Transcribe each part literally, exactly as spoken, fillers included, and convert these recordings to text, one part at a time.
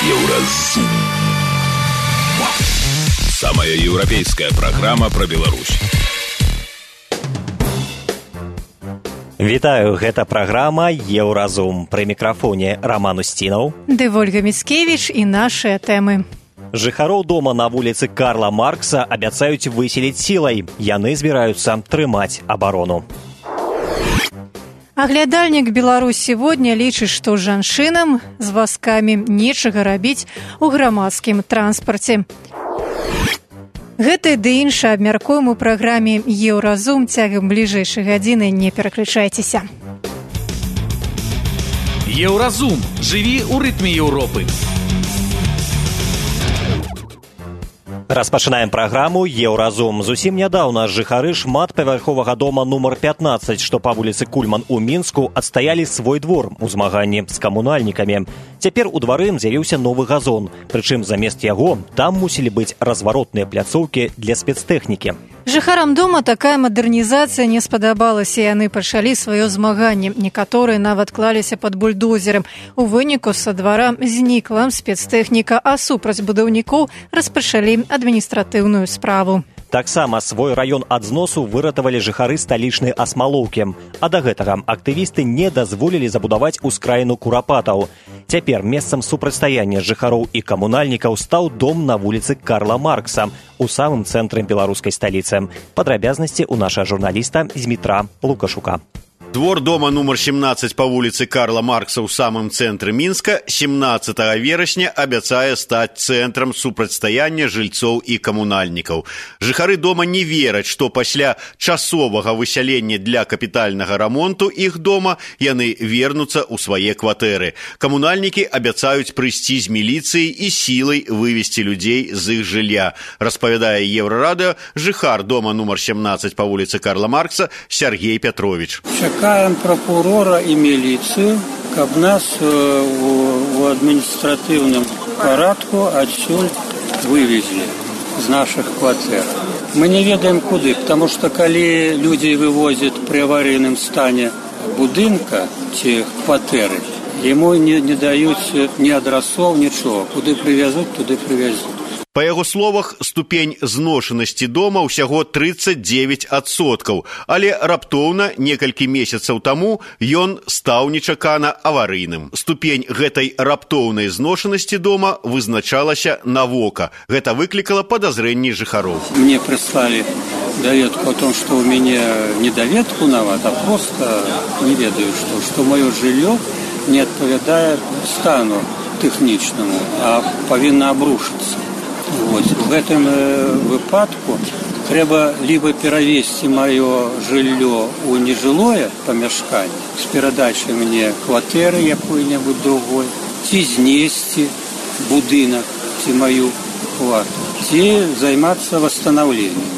Еўразум. Самая европейская программа про Беларусь. Вітаю, гэта праграма «Еўразум». Пры мікрафоне Роман Устінаў, ды Ольга Міцкевіч і нашыя тэмы. Жыхароў дома на вуліцы Карла Маркса абяцаюць выселіць сілай. Яны збіраюцца трымаць абарону. Аглядальнік «Беларусь сегодня» лічыць, што жанчынам з вазкамі нечага рабіць у грамадскім транспарце. Гэта ды іншае абмяркуем у праграме «Еўразум». Цягам бліжэйшай гадзіны не пераключайцеся. Еўразум. Жыві ў рытме Еўропы. Распачынаем праграму «Еўразум». Зусім нядаўна жыхары шматпавярховага дома нумар пятнаццаць, што па вуліцы Кульман у Мінску, адстаялі свой двор у змаганні з камунальнікамі. Цяпер у двары з'явіўся новы газон. Прычым замест яго там мусілі быць разваротныя пляцоўкі для спецтэхнікі. Жыхарам дома такая мадэрнізацыя не спадабалася, і яны пачалі сваё змаганне. Некаторыя нават клаліся пад бульдозерам. У выніку са двара знікла спецтэхніка, а супраць будаўнікоў распачалі адміністратыўную справу. Таксама свой раён ад зносу выратавалі жыхары сталічнай Асмалоўкі. А да гэтага актывісты не дазволілі забудаваць ускраіну курапатаў. Цяпер месцам супрацьстаяння жыхароў і камунальнікаў стаў дом на вуліцы Карла Маркса у самым цэнтры беларускай сталіцы. Падрабязнасці ў нашага журналіста Змітра Лукашука. Двор дома нумар семнаццаць па вуліцы Карла Маркса ў самым цэнтры Мінска семнаццатага верасня абяцае стаць цэнтрам супрацьстаяння жыльцоў і камунальнікаў. Жыхары дома не вераць, што пасля часовага высялення для капітальнага рамонту іх дома яны вернуцца ў свае кватэры. Камунальнікі абяцаюць прыйсці з міліцыяй і сілай вывесці людзей з іх жылля. Распавядае Еўрарадыё жыхар дома нумар семнаццаць па вуліцы Карла Маркса Сергей Пятрович. Чакаем прокурора і міліцыю, каб нас у адміністратыўным парадку адсюль вывезли з наших кватэр. Мы не ведаем куды, потому что калі людзей вывозят при аварийным стане будынка ці кватэры, ему не, не даюць ні адрасоў, нічого. Куды привязут, туды привязут. Па яго словах, ступень зношанасці дома ўсяго трыццаць дзевяць адсоткаў, але раптоўна некалькі месяцаў таму ён стаў нечакана аварыйным. Ступень гэтай раптоўнай зношанасці дома вызначалася на вока. Гэта выклікала падазрэнні жыхароў. Мне прислали доведку о том, что у меня не доведку нават, а просто не ведаю, что, что мое жилье не адпавядае стану тэхнічнаму, а павінна абрушыцца. Вот. В гэтым э, выпадку трэба либо перавесці маё жыллё ў нежылое памяшканне з перадачай мне кватэры якой-небудзь другой, ці знесці будынак ці маю хвату, ці займацца восстановлением.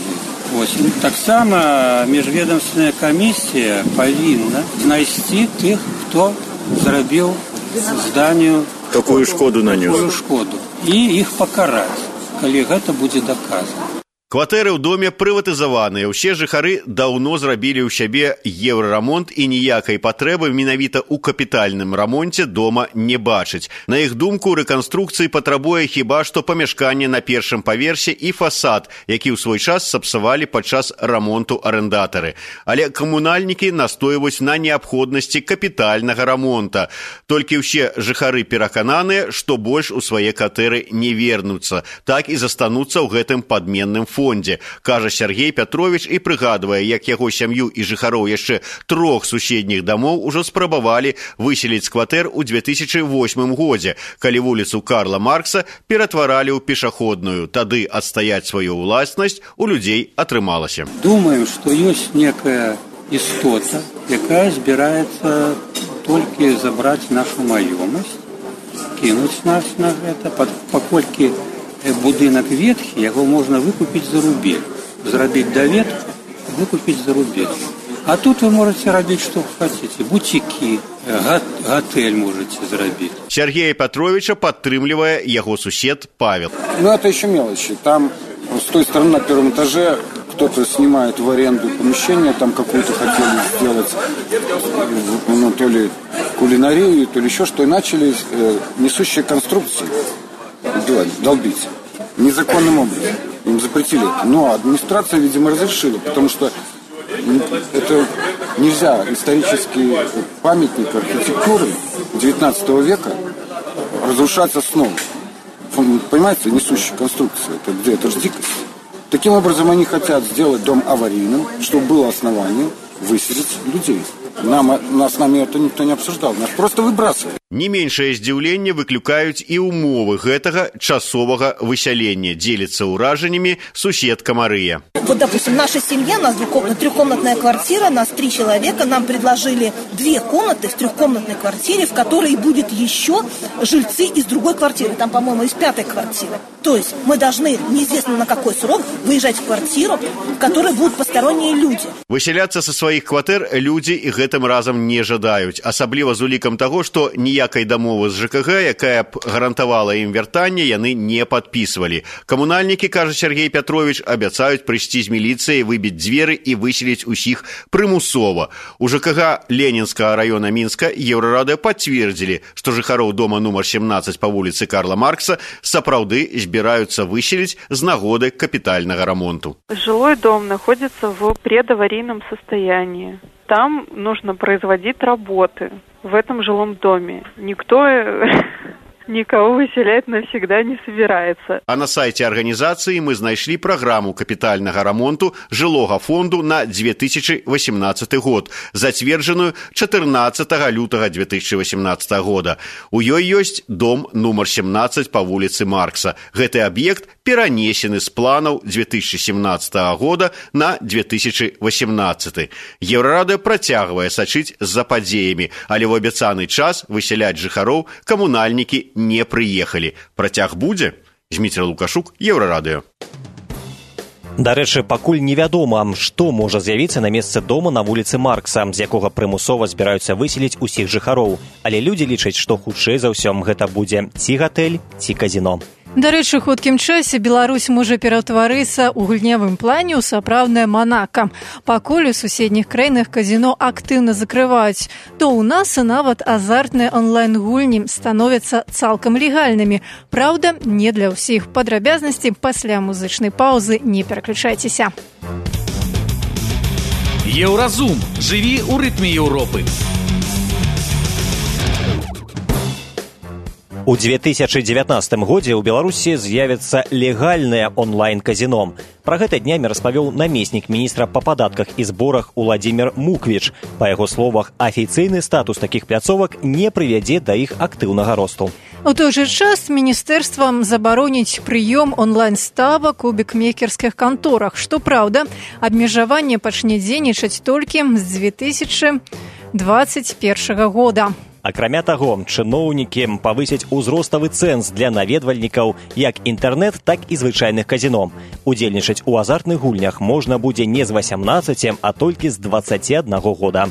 Вот. Таксама міжведамственная камісія павінна знайсці тых, хто зрабіў зданию такую шкоду нанёс, такую шкоду, і іх пакараць, калі гэта будзе даказана. Кватэры ў доме прыватызаваныя. Усе жыхары даўно зрабілі ў сябе еўрарамонт і ніякай патрэбы менавіта ў капітальным рамонце дома не бачыць. На іх думку, рэканструкцыі патрабуе хіба што памяшканне на першым паверсе і фасад, які ў свой час сапсавалі падчас рамонту арэндатары. Але камунальнікі настойваюць на неабходнасці капітальнага рамонта. Толькі ўсе жыхары перакананыя, што больш у свае кватэры не вернуцца, так і застануцца ў гэтым падменным фондзе. Фондзе, кажа Сергей Пятрович і прыгадвае, як яго сям'ю і жыхароў яшчэ трох суседніх дамоў ужо спрабавалі выселіць з кватэр у две тысячы восьмым годзе, калі вуліцу Карла Маркса ператваралі ў пешаходную. Тады адстаяць сваю ўласнасць у людзей атрымалася. Думаем, што ёсць некая істота, якая збіраецца толькі забраць нашу маёмасць, кінуць нас на гэта, паколькі будынак ветхі, яго можна выкупіць за рубель. Зрабіць даведку, выкупіць за рубель. А тут вы можете рабіць, што хотите. Бутики, готель можете зрабіць. Сергея Петровича падтрымлівае яго сусед Павел. Ну, это еще мелочи. Там с той стороны на первом этаже кто-то снимает в аренду помещение, там какую-то хотели сделать, ну, то ли кулинарию, то ли еще что, и начали э, несущие конструкции долбить незаконным образом. Им запретили это. Но администрация, видимо, разрешила, потому что это нельзя, исторический памятник архитектуры девятнадцатого века разрушать снова. Понимаете, несущие конструкции, это где? Это же дикость. Таким образом, они хотят сделать дом аварийным, чтобы было основание выселить людей. Нам, нас с нами это никто не обсуждал, нас просто выбрасывали. Не меншае здзіўленне выклікаюць і ўмовы гэтага часовага высялення, дзеліцца ўражаннямі суседка Марыя. Вот, допустим, наша семья, у нас трехкомнатная квартира, нас три человека, нам предложили две комнаты в трехкомнатной квартире, в которой будет еще жильцы из другой квартиры, там, по-моему, из пятой квартиры. То есть мы должны, неизвестно на какой срок, выезжать в квартиру, в которой будут посторонние люди. Высяляцца са сваіх кватэр людзі і гэтым разам не жадаюць, асабліва з улікам таго, што ніякай дамовы з ЖКГ, якая б гарантавала ім вяртанне, яны не падпісвалі. Камунальнікі, кажа Сергей Пятрович, абяцаюць прыйсці з міліцыяй, выбіць дзверы і выселіць усіх прымусова. У ЖКГ Ленінскага района Мінска Еўрарадыё пацвердзілі, што жыхароў дома нумар семнадцать па вуліцы Карла Маркса сапраўды збіраюцца выселіць з нагоды капітальнага рамонту. Жилой дом находится в предаварийном состоянии. Там нужно производить работы в этом жилом доме. Никто никого выселять навсегда не собирается. А на сайте организации мы знайшлі праграму капітальнага рамонту жылога фонду на две тысячи восемнадцатый год, зацверджаную чатырнаццатага лютага две тысячи восемнадцатого года. У ёй ёсць дом нумар семнадцать па вуліцы Маркса. Гэты аб'ект перанесены з планаў две тысячи семнадцатого года на две тысячи восемнадцатый. Еўрарадыё працягвае сачыць за падзеямі, але ў абяцаны час высяляць жыхароў камунальнікі не прыехалі. Працяг будзе? Зміцер Лукашук, Еўрарадыё. Дарэчы, пакуль невядома, што можа з'явіцца на месцы дома на вуліцы Маркса, з якога прымусова збіраюцца выселіць усіх жыхароў. Але людзі лічаць, што хутчэй за ўсё гэта будзе ці гатэль, ці казіно. Дарэчы, хуткім часе Беларусь можа пераўтварыцца ў гульнявым плане ў сапраўднае Манака. Пакуль у суседніх краінах казіно актыўна закрываюць, то ў нас і нават азартныя онлайн-гульні становяцца цалкам легальнымі. Праўда, не для ўсіх. Падрабязнасці пасля музычнай паўзы, не пераключайцеся. Еўразум. Жыві ў рытме Еўропы. У две тысячи девятнадцатым годзе ў Беларусі з'явіцца легальнае онлайн-казіно. Пра гэта днямі распавёў намеснік міністра па падатках і зборах Уладзімір Муквіч. Па яго словах, афіцыйны статус такіх пляцовак не прывядзе да іх актыўнага росту. У той жа час міністэрствам забароніць прыём онлайн-ставак у букмекерскіх канторах. Што праўда, абмежаванне пачне дзейнічаць толькі з две тысячи двадцать первого года. Акрамя таго, чыноўнікі павысяць узроставы цэнз для наведвальнікаў як інтэрнэт, так і звычайных казіно. Удзельнічаць у азартных гульнях можна будзе не з васямнаццаці, а толькі з дваццаці аднаго года.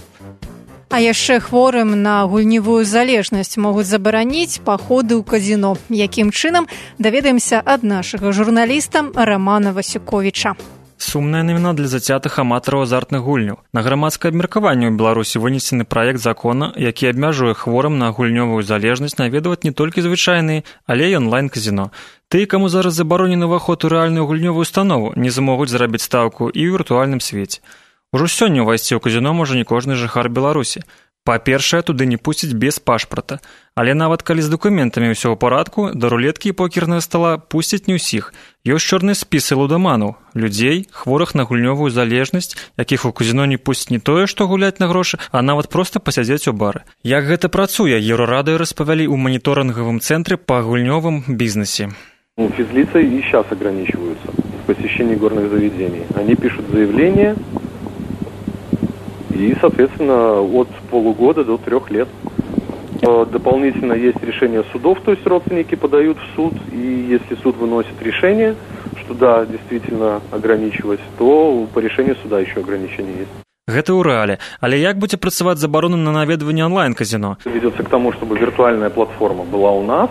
А яшчэ хворым на гульневую залежнасць могуць забараніць паходы ў казіно. Якім чынам, даведаемся ад нашага журналіста Рамана Васюковіча. Сумная навіна для зацятых аматараў азартных гульняў. На грамадскае абмеркаванне ў Беларусі вынесены праект закона, які абмяжуе хворым на гульнёвую залежнасць наведваць не толькі звычайныя, але і онлайн-казіно. Тыя, каму зараз забаронены ўваход у рэальную гульнёвую установу, не змогуць зрабіць стаўку і ў віртуальным свеце. Ужо сёння ўвайсці ў казіно можа не кожны жыхар Беларусі. Па-першае, туды не пусціць без пашпарта. Але нават калі з дакументамі ўсё ў парадку, да рулеткі і покернага стала пусціць не ўсіх. Ёсць чорныя спісы лудаманаў, людзей, хворых на гульнёвую залежнасць, якіх у казіно не пусціць не тое, што гуляць на грошы, а нават проста пасядзець у бары. Як гэта працуе, Еўрарадыё распавялі ў моніторынгавым цэнтры па гульнёвым бізнесе. Физлица и сейчас ограничиваются в посещении горных заведений. Они пишут заявление, и, соответственно, от полугода до трех лет. Дополнительно есть решение судов, то есть родственники подают в суд, и если суд выносит решение, что да, действительно ограничивать, то по решению суда еще ограничения есть. Гэта ў рэале. Але як будзе працаваць забарона на наведванне онлайн-казино? Ведется к тому, чтобы виртуальная платформа была у нас,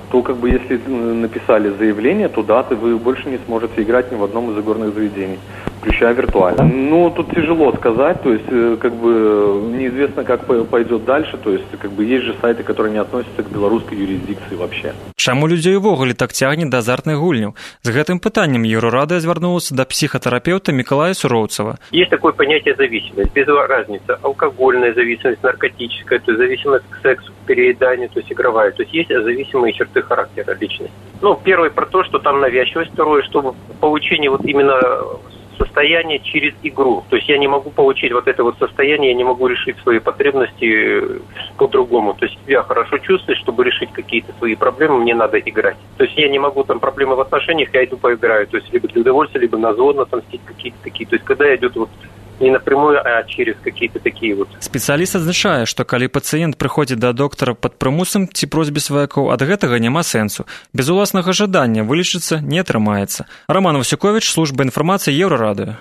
то как бы если написали заявление, то да, вы больше не сможете играть ни в одном из игорных заведений. включая виртуально. Ну, тут тяжело сказать, то есть, как бы, неизвестно, как пойдет дальше, то есть, как бы, есть же сайты, которые не относятся к белорусской юрисдикции вообще. Чаму людзей увогуле так цягне да азартных гульняў? З гэтым пытаннем Еўрарада звярнулася да психотерапевта Миколая Суроўцева. Есть такое понятие зависимость, без разницы. Алкогольная зависимость, наркотическая, то есть зависимость к сексу, к перееданию, то есть игровая. То есть есть зависимые черты характера личности. Ну, первое про то, что там навязчивость, второе, чтобы получение вот именно состояние через игру. То есть я не могу получить вот это вот состояние, я не могу решить свои потребности по-другому. То есть я хорошо чувствую, чтобы решить какие-то свои проблемы, мне надо играть. То есть я не могу, там, проблемы в отношениях, я иду поиграю. То есть либо для удовольствия, либо на зло отомстить какие-то такие. То есть когда идет вот не напрямую, а через какие-то такие вот. Спецыяліст адзначае, што калі пацыент прыходзіць да доктара пад прымусам ці просьбе сваякоў, ад гэтага няма сэнсу. Без уласнага жадання вылечыцца не атрымаецца. Роман Васюковіч, служба інфармацыі Еўрарадыё.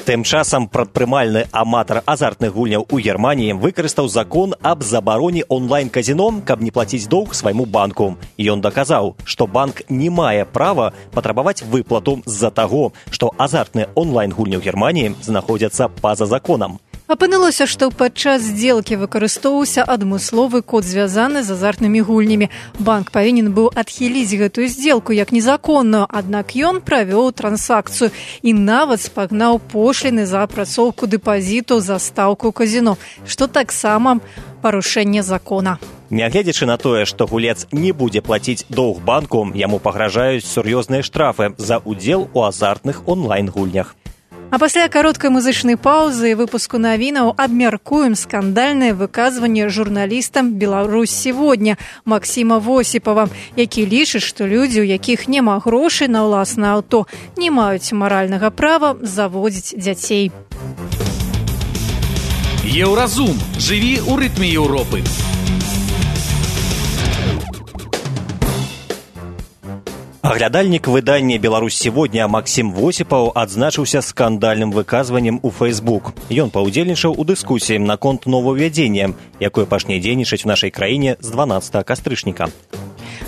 Тым часам прадпрымальны аматар азартных гульняў у Германіі выкарыстаў закон аб забароне онлайн-казіно, каб не плаціць доўг свайму банку. Ён даказаў, што банк не мае права патрабаваць выплату з-за таго, што азартныя онлайн-гульні ў Германіі знаходзяцца па-за законам. Апынулася, што падчас здзелкі выкарыстоўваўся адмысловы код, звязаны з азартнымі гульнямі. Банк павінен быў адхіліць гэтую здзелку як незаконную, аднак ён правёў трансакцыю і нават спагнаў пошліны за апрацоўку дэпазіту за стаўку казіно, што таксама парушэнне закона. Нягледзячы на тое, што гулец не будзе плаціць доўг банку, яму пагражаюць сур'ёзныя штрафы за ўдзел у азартных онлайн-гульнях. А пасля кароткай музычнай паўзы і выпуску навінаў абмяркуем скандальнае выказванне журналістам «Беларусь сегодня» Максіма Восіпава, які лічыць, што людзі, у якіх няма грошай на ўласнае аўто, не маюць маральнага права заводзіць дзяцей. Еўразум. Жыві ў рытме Еўропы. Аглядальнік выдання «Беларусь сегодня» Максім Восіпаў адзначыўся скандальным выказваннем у Facebook. Ён паўдзельнічаў у дыскусіі наконт новаўвядзення, якое пачне дзейнічаць у нашай краіне з дванаццатага кастрычніка.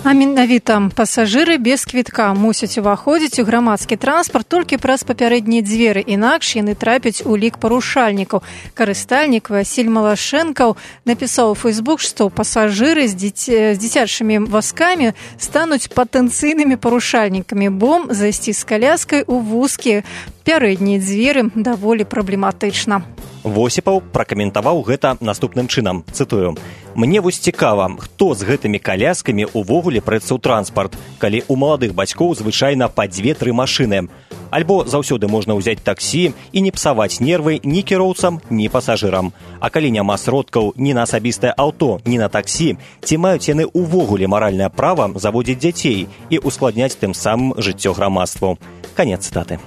А менавіта пасажыры без квітка мусяць уваходзіць у грамадскі транспарт толькі праз папярэднія дзверы, інакш яны трапяць у лік парушальнікаў. Карыстальнік Васіль Малашэнкаў напісаў у Facebook, што пасажыры з, дзіця... з дзіцячымі вазкамі стануць патэнцыйнымі парушальнікамі, бо зайсці з каляскай у вузкія пярэднія дзверы даволі праблематычна. Восіпаў пракаментаваў гэта наступным чынам, цытую: «Мне вось цікава, хто з гэтымі каляскамі увогуле прэцца ў транспарт, калі ў маладых бацькоў звычайна па дзве-тры машыны. Альбо заўсёды можна ўзяць таксі і не псаваць нервы ні кіроўцам, ні пасажырам. А калі няма сродкаў ні на асабістае аўто, ні на таксі, ці маюць яны ўвогуле маральнае права заводзіць дзяцей і ускладняць тым самым жыццё грамадству». Канец цытаты.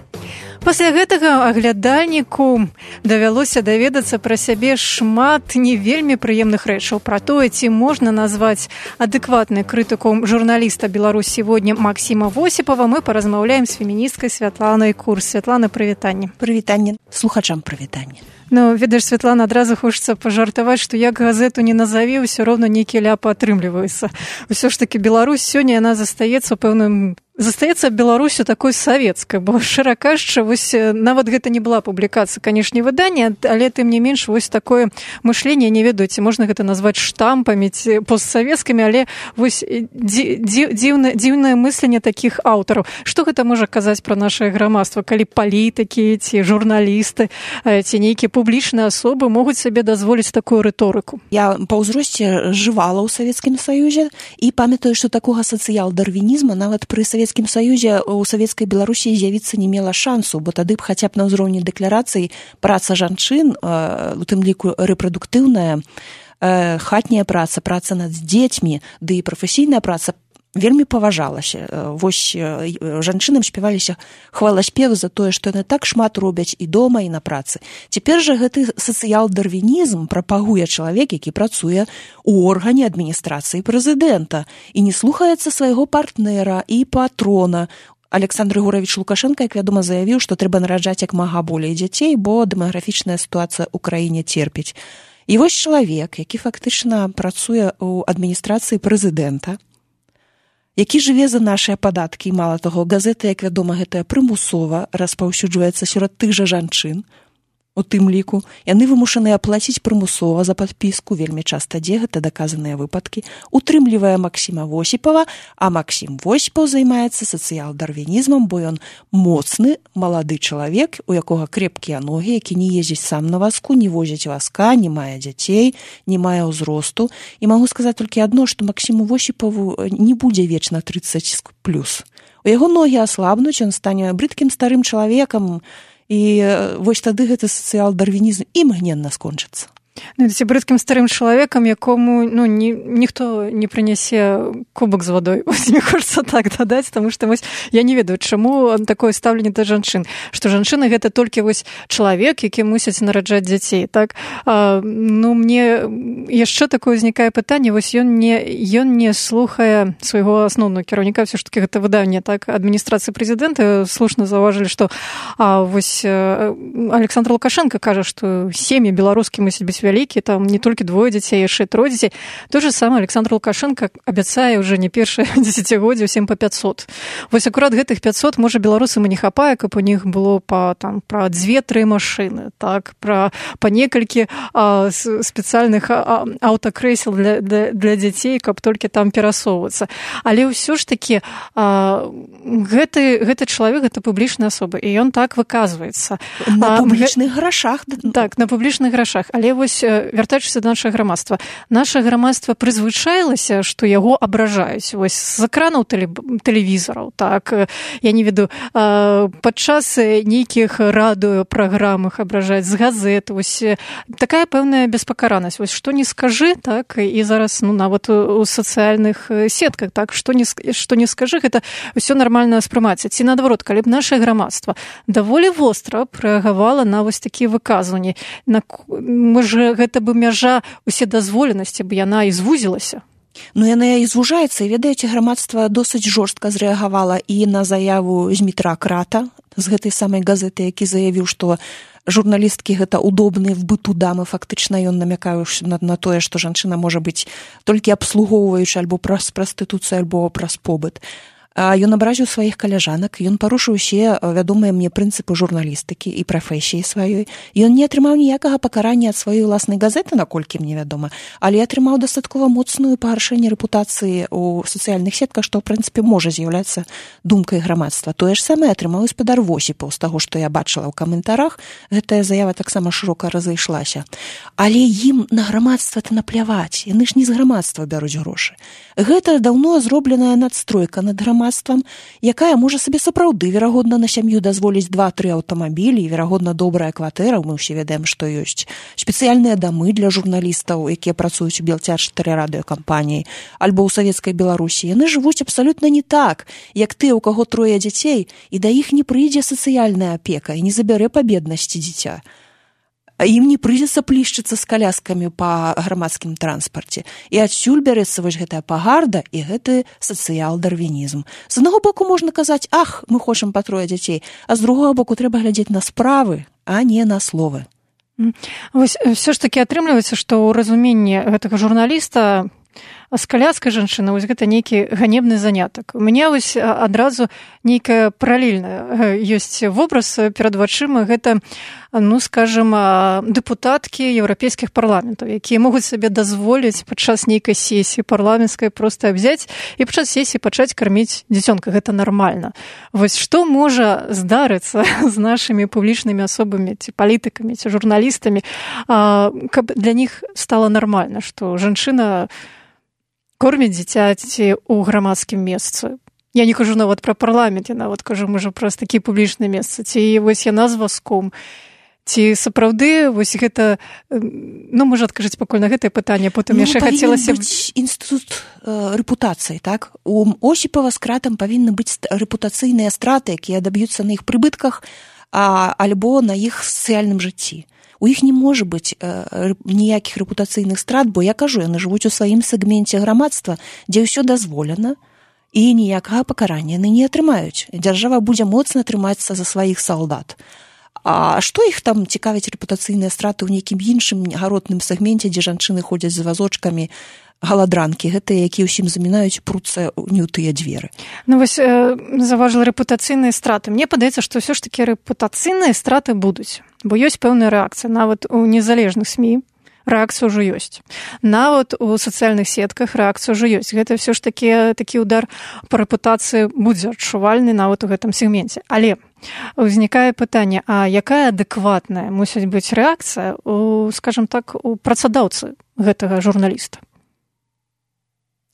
Пасля гэтага аглядальніку давялося даведацца пра сябе шмат не вельмі прыемных рэчаў. Пра тое, ці можна назваць адэкватнай крытыку журналіста «Беларусь сегодня» Максіма Восіпава, мы паразмаўляем з феміністкай Святланай Курс. Святлана, прывітанне. Прывітанне. Слухачам прывітанне. Ну, ведаеш, Святлана, адразу хочацца пажартаваць, што як газету не назаве, ўсё роўна нейкія ляпы атрымліваюцца. Усё ж такі Беларусь сёння, яна застаецца пэўным... Застаецца Беларусю такой савецкай, бо шчыра кажучы, вось нават гэта не была публікацыя, канешне, выдання, але тым не менш вось такое мышленне, не ведаю, ці можна гэта назваць штампамі ці постсавецкімі, але вось дзіўнае дзіўнае мысленне такіх аўтараў. Што гэта можа казаць пра нашае грамадства, калі палітыкі ці журналісты ці нейкія публічныя асобы могуць сабе дазволіць такую рыторыку? Я па ўзросце жывала ў Савецкім Саюзе і памятаю, што такога сацыял-дарвінізма нават пры Савецкім Савецкім Саюзе у Савецкай Беларусі з'явіцца не мела шансу, бо тады б хаця б на ўзроўні дэкларацыі праца жанчын, у тым ліку рэпрадуктыўная, хатняя праца, праца над дзецьмі, ды і прафесійная праца вельмі паважалася. Вось жанчынам спяваліся хваласпевы за тое, што яны так шмат робяць і дома, і на працы. Цяпер жа гэты сацыял-дарвінізм прапагуе чалавек, які працуе ў органе адміністрацыі прэзідэнта і не слухаецца свайго партнера і патрона. Александр Григорович Лукашенко, як вядома, заявіў, што трэба нараджаць як мага болей дзяцей, бо дэмаграфічная сітуацыя ў краіне церпіць. І вось чалавек, які фактычна працуе ў адміністрацыі прэзідэнта, які жыве за нашыя падаткі. І мала таго, газета, як вядома, гэтая прымусова распаўсюджваецца сярод тых жа жанчын. У тым ліку, яны вымушаныя плаціць прымусова за падпіску, вельмі часта дзе гэта даказаныя выпадкі, утрымлівае Максіма Восіпава, а Максім Восіпаў займаецца сацыял-дарвінізмам, бо ён моцны, малады чалавек, у якога крепкія ногі, які не ездзіць сам на вазку, не возіць вазка, не мае дзяцей, не мае ўзросту. І магу сказаць толькі адно, што Максіму Восіпаву не будзе вечна трыццаць плюс. У яго ногі аслабнуць, ён стане брыдкім старым чалавекам, і вось тады гэты сацыял-дарвінізм імгненна скончыцца. Ну, ці брыдкім старым чалавекам, якому ну, ні, ніхто не прынясе кубак з вадой. Ось, мне хочацца так дадаць, таму што вось, я не ведаю, чаму такое стаўленне да жанчын. Што жанчыны гэта толькі вось чалавек, які мусяць нараджаць дзяцей. Так? А, ну, мне яшчэ такое ўзнікае пытанне, вось ён не, ён не слухае свайго асноўнага кіраўніка, ўсё ж такі гэта выданне, так, адміністрацыі прэзідэнта слушна заўважылі, што а, вось Александр Лукашенко кажа, што сем'і беларускі мусяць быць вялікі, там не толькі двое дзяцей, яшчэ трое дзяцей. То же самае Александр Лукашенко абяцае ўжо не першае дзесяцігоддзе ўсім па пяцьсот. Вось акурат гэтых пяцьсот, можа, беларусам і не хапае, каб у них было па, там, пра дзве-тры машыны, так, пра, па некалькі а, спецыяльных а, аўтакрэсел для, для, для дзяцей, каб толькі там перасоўвацца. Але ўсё ж такі а, гэты, гэты чалавек, гэта публічная асоба, і ён так выказваецца. На публічных грашах. Так, на публічных грашах. Але вось вяртаючыся да нашага грамадства. Наша грамадства прызвычаілася, што яго абражаюць. Вось з экранаў тэлевізараў, так, я не веду, падчас нейкіх радыёпраграмах абражаюць, з газет, вось такая пэўная беспакаранасць. Вось што не скажы, так, і зараз, ну, нават у сацыяльных сетках, так, што не, што не скажы, гэта ўсё нармальна спрымаецца. Ці наадварот, калі б наша грамадства даволі востра рэагавала на вось такія выказванні, на можа, гэта бы мяжа уседазволенасці, б яна і звузілася. Ну, яна і звужаецца, і, ведаеце, грамадства досыць жорстка зрэагавала і на заяву Змітра Крата з гэтай самай газеты, які заявіў, што журналісткі гэта удобныя в быту дамы, фактычна ён намякае на, на тое, што жанчына можа быць толькі абслугоўваючы альбо праз прастытуцыю, альбо праз побыт. Ён абразіў сваіх каляжанак, ён парушыў усе вядомыя мне прынцыпы журналістыкі і прафесіі сваёй. Ён не атрымаў ніякага пакарання ад сваёй уласнай газеты, наколькі мне вядома, але атрымаў дастаткова моцную пагаршэнне рэпутацыі ў сацыяльных сетках, што, ў прынцыпе, можа з'яўляцца думкай грамадства. Тое ж самае атрымаў і спадар Восіпаў, з таго, што я бачыла ў каментарах, гэтая заява таксама шырока разышлася. Але ім на грамадства-то напляваць, яны ж не з грамадства бяруць грошы. Гэта даўно зробленая надстройка над грамадствам, якая можа сабе сапраўды, верагодна, на сям'ю дазволіць два-тры аўтамабілі, і, верагодна, добрая кватэра, мы ўсе ведаем, што ёсць спецыяльныя дамы для журналістаў, якія працуюць у Белцяж-чатыры радыёкампаніі, альбо ў савецкай Беларусі. Яны жывуць абсалютна не так, як ты, у каго трое дзяцей, і да іх не прыйдзе сацыяльная апека і не забярэ па беднасці дзіця. Ім не прыйдзецца плішчыцца з каляскамі па грамадскім транспарце. І адсюль бярэцца вось гэтая пагарда і гэты сацыял-дарвінізм. З аднаго боку можна казаць, ах, мы хочам па трое дзяцей, а з другога боку трэба глядзець на справы, а не на словы. Вось все ж такі атрымліваецца, што ў разуменні гэтага журналіста з каляскай жанчыны вось гэта нейкі ганебны занятак. У мяне вось адразу нейкая паралельная ёсць вобраз перад вачыма, гэта, ну, скажем, дэпутаткі еўрапейскіх парламентаў, якія могуць сабе дазволіць падчас нейкай сесіі парламенцкай проста взяць і падчас сесіі пачаць карміць дзіцёнка. Гэта нармальна. Вось што можа здарыцца з нашымі публічнымі асобамі, ці палітыкамі, ці журналістамі, каб для них стала нармальна, што жанчына корміць дзіцяці ў грамадскім месцы. Я не кажу нават пра парламент, я нават кажу, можа, праз такі публічны месцы. Ці вось яна з вазком. Ці сапраўды вось гэта, ну, можа, адкажыць пакуль на гэтае пытанне, потым ну, яшчэ хацелася... Ну, павінен быць інстытут э, рэпутацыі, так? У Осіпава з Кратам павінны быць рэпутацыйныя страты, якія даб'юцца на іх прыбытках, а, альбо на іх сацыяльным жыцці. У іх не можа быць э, ніякіх рэпутацыйных страт, бо я кажу, яны жывуць у сваім сегменце грамадства, дзе ўсё дазволена, і ніякага пакарання яны не атрымаюць. Дзяржава будзе моцна трымацца за сваіх салдат. А што іх там цікавяць рэпутацыйныя страты ў нейкім іншым гаротным сегменце, дзе жанчыны ходзяць з вазочкамі, галадранкі, гэтыя, якія ўсім замінаюць, пруцца не ў тыя дзверы. Ну вось э, заважыла рэпутацыйныя страты. Мне падаецца, што ўсё ж такі рэпутацыйныя страты будуць, бо ёсць пэўная рэакцыя. Нават у незалежных СМІ рэакцыя ўжо ёсць. Нават у сацыяльных сетках рэакцыя ўжо ёсць. Гэта ўсё ж такі, такі удар па рэпутацыі будзе адчувальны нават у гэтым сегменце. Але узнікае пытанне, а якая адэкватная мусіць быць рэакцыя у, скажам так, у працадаўцы гэтага журналіста?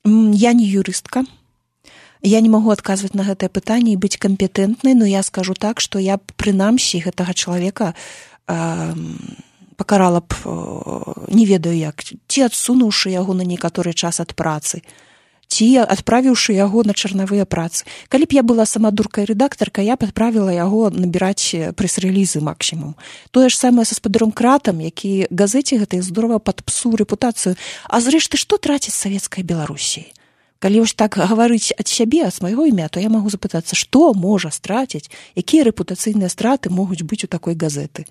Я не юрыстка. Я не магу адказваць на гэтае пытанне і быць кампетэнтнай, но я скажу так, што я б прынамсі гэтага чалавека э, пакарала б, э, не ведаю як, ці адсунуўшы яго на некаторы час ад працы, ці адправіўшы яго на чарнавыя працы. Калі б я была сама дуркай-рэдактарка, я б адправіла яго набіраць прэс-рэлізы максімум. Тое ж самае са спадаром Кратам, які газеце гэтай здорова падпсуў рэпутацыю. А зрэшты, што траціць савецкая Беларусі? Калі ўж так гаварыць ад сябе, ад свайго імя, то я магу запытацца, што можа страціць, якія рэпутацыйныя страты могуць быць у такой газеты.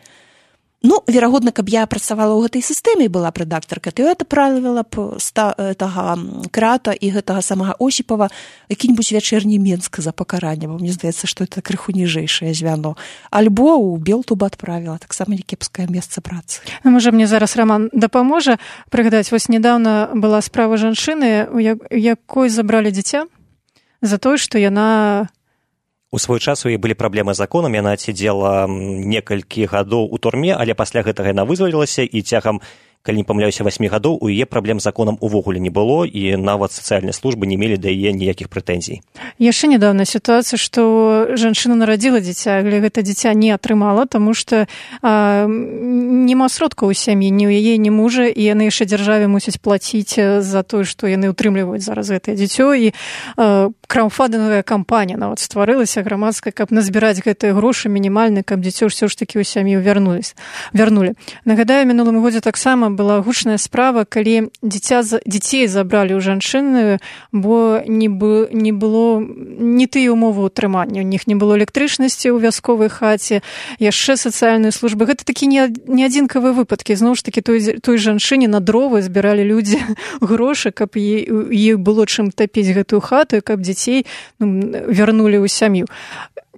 Ну, верагодна, каб я працавала ў гэтай сістэме і была б рэдактарка, то я адправіла б гэтага Крата і гэтага самага Осіпава які-небудзь вячэрні Менск за пакаранне, бо мне здаецца, што это крыху ніжэйшае звяно. Альбо ў Белту б адправіла, таксама некепскае месца працы. Ну, можа, мне зараз Раман дапаможа прыгадаць. Вось недаўна была справа жанчыны, у якой забралі дзіця за тое, што яна... У свой час у яе былі праблемы з законам, яна сидзела некалькі гадоў у турме, але пасля гэтага яна вызвалілася, і цягам, калі не памыляюся, васьмі гадоў у яе праблем з законам увогуле не было, і нават сацыяльныя службы не мелі да яе ніякіх прэтэнзій. Яшчэ недавно сітуацыя, што жанчына нарадзіла дзіця, але гэта дзіця не атрымала, таму што а, няма сродкаў у сям'і, ні ў яе, ні мужа, і яны яшчэ дзяржаве мусяць плаціць за тое, што яны ўтрымліваюць зараз гэтае дзіцё, і а, краўдфандынговая кампанія нават стварылася грамадская, каб назбіраць гэтыя грошы мінімальныя, каб дзіцё ўсё ж такі ў сям'ю вярнулі. Нагадаю, мінулым годзе таксама была гучная справа, калі дзіця, дзяцей забралі ў жанчыны, бо не, бы, не было не тыя ўмовы ўтрымання. У них не было электрычнасці ў вясковай хаце, яшчэ сацыяльныя службы. Гэта такі не, не адзінкавыя выпадкі. Зноў ж такі той, той жанчыне на дровы збіралі людзі грошы, каб ей было чым тапіць гэтую хату, каб дзяцей ну, вярнулі ў сям'ю.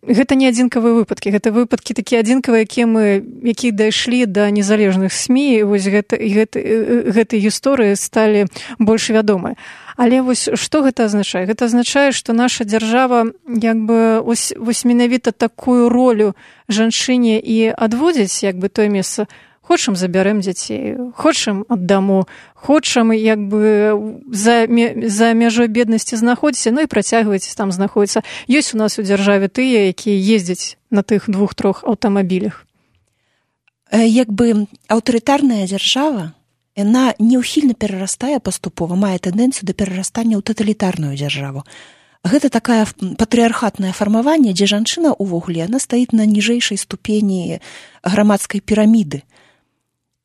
Гэта не адзінкавыя выпадкі, гэта выпадкі такія адзінкавыя, якія мы, якія дайшлі да незалежных СМІ, і вось гэта, гэта, гэтай гісторыі сталі больш вядомыя. Але вось што гэта азначае? Гэта азначае, што наша дзяржава як бы ось, вось менавіта такую ролю жанчыне і адводзіць як бы тое месца. Хочам забярэм дзяцей, хочам аддаму, хочам як бы за, за мяжой беднасці знаходзіцца, ну і працягвайце там знаходзіцца. Ёсць у нас у дзяржаве тыя, якія ездзяць на тых двух-трох аўтамабілях. Як бы аўтарытарная дзяржава, яна неўхільна перарастае паступова, мае тэндэнцыю да перарастання ў таталітарную дзяржаву. Гэта такая патрыархатнае фармаванне, дзе жанчына ўвогуле, яна стаіць на ніжэйшай ступені грамадскай піраміды.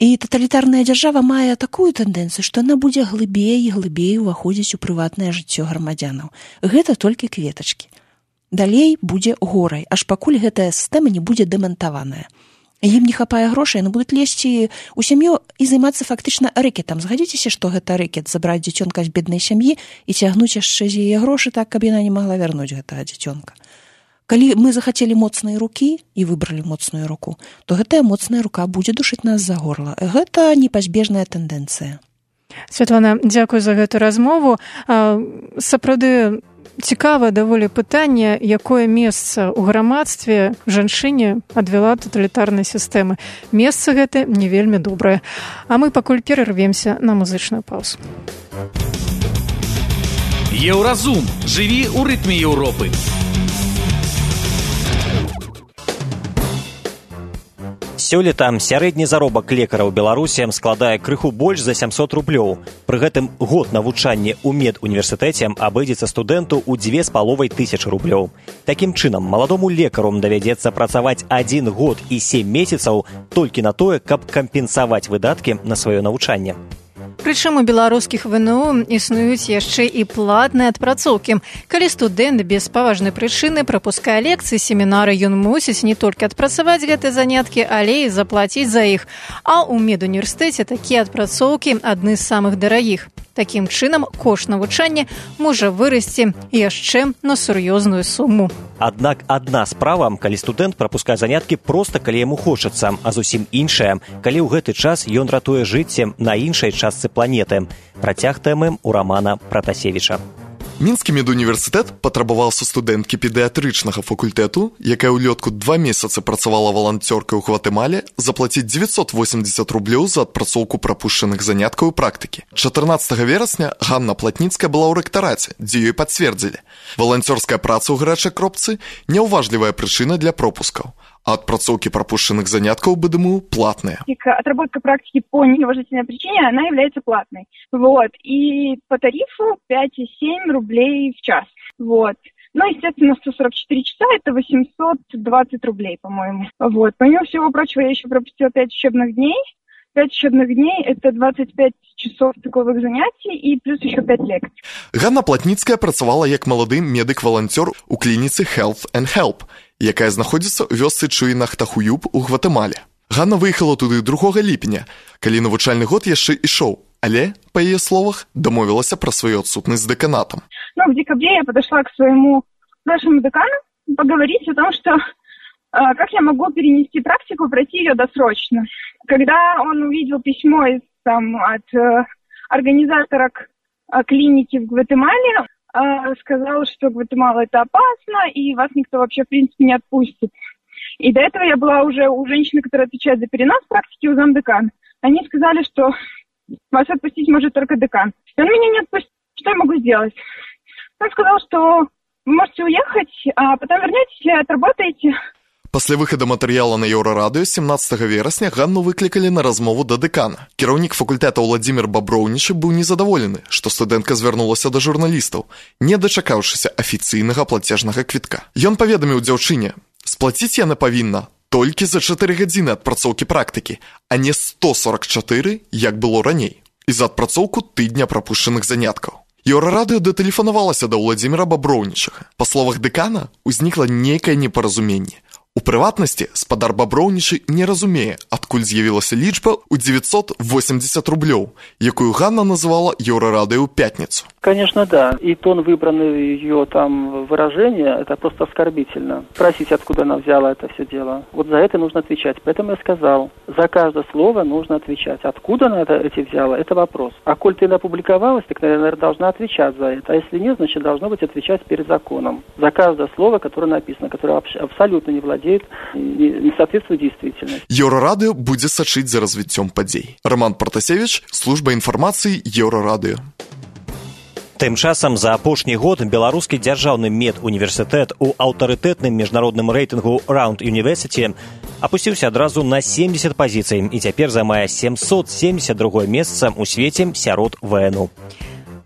І таталітарная дзяржава мае такую тэндэнцыю, што яна будзе глыбей і глыбей уваходзіць у прыватнае жыццё грамадзянаў. Гэта толькі кветачкі. Далей будзе горай, аж пакуль гэтая сістэма не будзе дэмантаваная. Ім не хапае грошай, яны будуць лезці ў сям'ю і займацца фактычна рэкетам. Згадзіцеся, што гэта рэкет, забраць дзіцёнка з беднай сям'і і цягнуць яшчэ з яе грошы так, каб яна не магла вярнуць гэтага дзіцёнка. Калі мы захацелі моцныя рукі і выбралі моцную руку, то гэтая моцная рука будзе душыць нас за горла. Гэта непазбежная тэндэнцыя. Святлана, дзякуй за гэту размову. Сапраўды цікавае даволі пытанне, якое месца ў грамадстве жанчыне адвяла таталітарнай сістэмы. Месца гэта не вельмі добрае. А мы пакуль перарвемся на музычную паузу. Еўразум. Жыві ў рытме Еўропы. Сёлета сярэдні заробак лекара ў Беларусі складае крыху больш за сямсот рублёў. Пры гэтым год навучання ў медуніверсітэце абыдзецца студэнту ў дзве з паловай тысячы рублёў. Такім чынам, маладому лекару давядзецца працаваць адзін год і сем месяцаў толькі на тое, каб кампенсаваць выдаткі на сваё навучанне. Прычым у беларускіх ВНУ існуюць яшчэ і платныя адпрацоўкі. Калі студэнт без паважнай прычыны прапускае лекцыі, семінары, ён мусіць не толькі адпрацаваць гэтыя заняткі, але і заплаціць за іх. А ў медуніверсітэце такія адпрацоўкі адны з самых дарагіх. Такім чынам, кошт навучання можа вырасці яшчэ на сур'ёзную суму. Аднак адна справа, калі студэнт прапускае заняткі проста калі яму хочацца, а зусім іншая, калі ў гэты час ён ратуе жыццем на іншай частцы планеты. Працяг тэмы у Рамана Пратасевіча. Мінскі медуніверсітэт патрабаваў са студэнткі педыятрычнага факультэту, якая ўлетку два месяцы працавала валанцёркай у Гватэмале, заплаціць дзевяцьсот восемьдесят рублёў за адпрацоўку прапушчаных заняткаў і практыкі. чатырнаццатага верасня Ганна Платніцкая была ў рэктараце, дзе ёй пацвердзілі. Валанцёрская праца ў гарачай кропцы – няўважлівая прычына для пропускаў. А отпрацоўки пропущенных занятков, БДМУ, платные. Отработка практики по неуважительной причине, она является платной. Вот. И по тарифу пять и семь рублей в час. Вот. Ну, естественно, сто сорок четыре часа – это восемьсот двадцать рублей, по-моему. Вот. Помимо всего прочего, я еще пропустила пять учебных дней. пять учебных дней – это двадцать пять часов таковых занятий и плюс еще пять лекций. Ганна Платніцкая працавала як малады медык-валанцёр у клініцы Health and Help, якая знаходзіцца ў вёсцы Чуінахтахуюб у Гватэмале. Ганна выехала туды другога ліпеня, калі навучальны год яшчэ ішоў, але, па яе словах, дамовілася пра сваю адсутнасць з дэканатам. Ну, в декабре я подошла к своему нашему декану поговорить о том, что э, как я могу перенести практику, пройти ее досрочно. Когда он увидел письмо из, там, от э, организатора э, клиники в Гватемале, э, сказал, что Гватемала это опасно, и вас никто вообще, в принципе, не отпустит. И до этого я была уже у женщины, которая отвечает за перенос практики, у замдекана. Они сказали, что вас отпустить может только декан. И он меня не отпустит. Что я могу сделать? Он сказал, что вы можете уехать, а потом вернетесь и отработаете. Пасля выхада матэрыяла на Еўрарадыё семнаццатага верасня Ганну выклікалі на размову да дэкана. Кіраўнік факультэта Владзімір Баброўнічы быў незадаволены, што студэнтка звярнулася да журналістаў, не дачакаўшыся афіцыйнага плацежнага квітка. Ён паведаміў дзяўчыне: сплаціць яна павінна толькі за чатыры гадзіны адпрацоўкі практыкі, а не сто сорок чатыры, як было раней, і за адпрацоўку тыдня прапушчаных заняткаў. Еўрарадыё датэлефанавалася да Владзіміра Баброўнічага. Па словах дэкана, узнікла нейкае непаразуменне. У прыватнасці, спадар Баброўнічы не разумее, адкуль з'явілася лічба ў девятьсот восемьдесят рублёў, якую Ганна называла Еўрарадыё ў пятницу. Конечно, да. И тон выбранный ее там выражение, это просто оскорбительно. Спросить, откуда она взяла это все дело. Вот за это нужно отвечать. Поэтому я сказал, за каждое слово нужно отвечать. Откуда она это эти взяла, это вопрос. А коль ты опубликовалась, так, наверное, должна отвечать за это. А если нет, значит, должно быть отвечать перед законом. За каждое слово, которое написано, которое абсолютно не владеет, не соответствует действительности. Еўрарадыё будзе сачыць за развіццём падзей. Роман Пратасевіч, служба інфармацыі Еўрарадыё. Тым часам за апошні год беларускі дзяржаўны медуніверсітэт у аўтарытэтным міжнародным рэйтынгу Round University апусціўся адразу на семьдесят пазіцый і цяпер займае семьсот семьдесят другое месца ў свеце сярод ВНУ.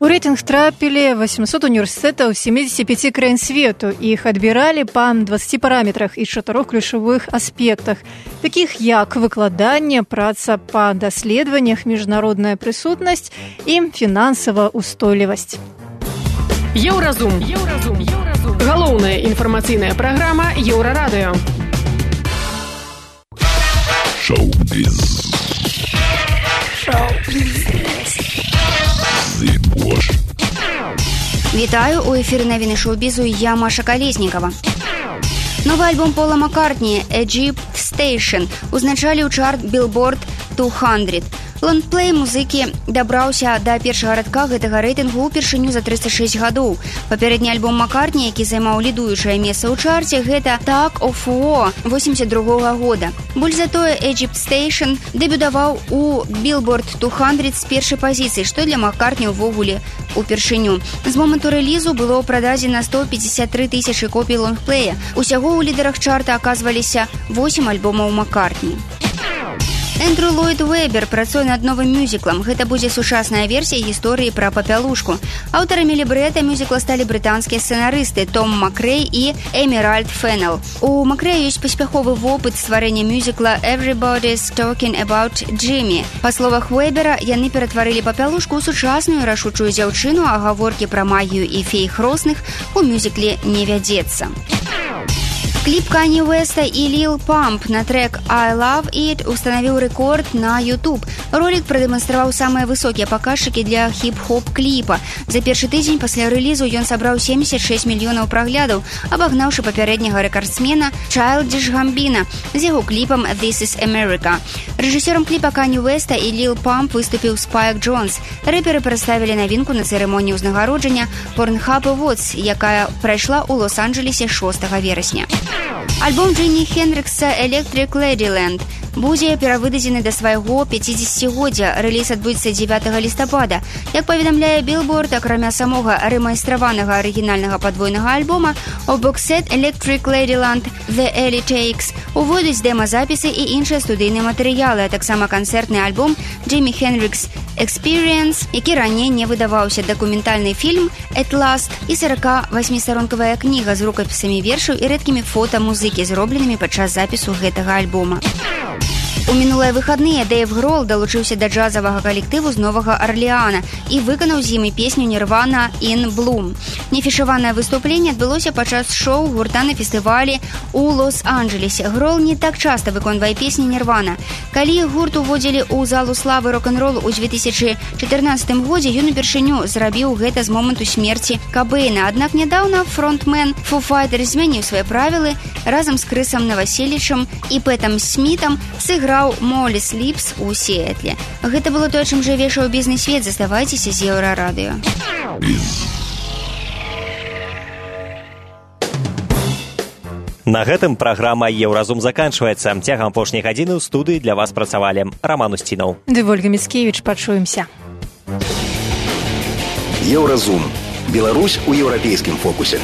У рэйтынг трапілі восемьсот універсітэтаў семидесяти пяти краін свету. Іх адбіралі па двадцати параметрах і чатырох ключавых аспектах, такіх як выкладанне, праца па даследаваннях, міжнародная прысутнасць і фінансавая устойлівасць. Еўразум. Еўразум. Еўразум. Галоўная інфармацыйная праграма Еўрарадыё. Шоу-біз. Шоу-біз. Вітаю, у эфіры навіны шоу-бізу, я Маша Калеснікава. Новы альбом Пола Маккартні «Egypt Station» узначалі ў чарт Billboard двести. Лонгплей музыкі дабраўся да першага радка гэтага рэйтынгу ўпершыню за трыста шэсць гадоў. Папярэдні альбом Маккартні, які займаў лідуючае месца ў чарце, гэта «Tug of War» восемьдесят другога года. Больш затое «Egypt Station» дэбютаваў у Billboard двести з першай пазіцыі, што для Маккартні ўвогуле упершыню. З моманту рэлізу было прададзена сто пятьдесят три тысячи копій лонгплея. Усяго ў лідарах чарта аказваліся восемь альбомаў Маккартні. Эндрю Ллойд Уэбер працуе над новым мюзіклам. Гэта будзе сучасная версія гісторыі пра папялушку. Аўтарамі лібрэта мюзікла сталі брытанскія сцэнарысты Том Макрэй і Эмеральд Феннел. У Макрэя ёсць паспяховы вопыт стварэння мюзікла «Everybody's Talking About Jimmy». Па словах Уэбера, яны ператварылі папялушку ў сучасную рашучую дзяўчыну, а гаворкі пра магію і фей хросных у мюзікле не вядзецца. Кліп Канье Уэста і Лил Памп на трек «I Love It» устанавіў рэкорд на YouTube. Ролік прадэманстраваў самыя высокія паказчыкі для хіп-хоп кліпа. За першы тыдзень пасля рэлізу ён сабраў семьдесят шесть мільёнаў праглядаў, абагнаўшы папярэдняга рэкардсмена Childish Gambino з яго кліпам «This is America». Рэжысёрам кліпа Канье Уэста і Лил Памп выступіў Спайк Джонс. Рэперы прадставілі навінку на цырымоніі ўзнагароджання Pornhub Awards, якая прайшла ў Лос-Анджелесе шостага верасня. Альбом Джимі Хендрикса «Electric Ladyland» будзе перавыдадзены да свайго пяцідзесяцігоддзя. Рэліз адбудзецца дзевятага лістапада. Як паведамляе Billboard, акрамя самога рэмайстраванага арыгінальнага падвойнага альбома, у боксет «Electric Ladyland The Early Takes» увойдуць дэма-запісы і іншыя студыйныя матэрыялы, а таксама канцэртны альбом Джимі Хендрикс «Experience», які раней не выдаваўся, дакументальны фільм «At Last» і сорокавасьмістаронкавая кніга з рукапісамі вершаў і рэдкімі фота музыкі, зробленымі падчас запісу гэтага альбома. У мінулыя выхадныя Дэйв Грол далучыўся да джазавага калектыву з Новага Арлеана і выканаў з імі песню «Нірвана In Bloom». Нефішаванае выступленне адбылося падчас шоу гурта на фестывалі ў Лос-Анджелесе. Грол не так часта выконвае песні «Нірвана». Калі гурт уводзілі ў залу славы рок-н-ролу ў две тысячы чатырнаццатым годзе, ён упершыню зрабіў гэта з моманту смерці Кабэйна. Аднак нядаўна фронтмен Foo Fighters змяніў свае правілы, разам з Крысам Наваселічам і Пэтам Смітам сыграў Молі Сліпс у Сіэтле. Гэта было тое, чым жыве шоу-бізнес-свет. Заставайцеся з Еўрарадыё. На гэтым праграма «Еўразум» заканчваецца. Цягам апошняй гадзіны ў студыі для вас працавалі Раман Усцінаў. Ды Вольга Міцкевіч, пачуемся. Еўразум. Беларусь у еўрапейскім фокусе.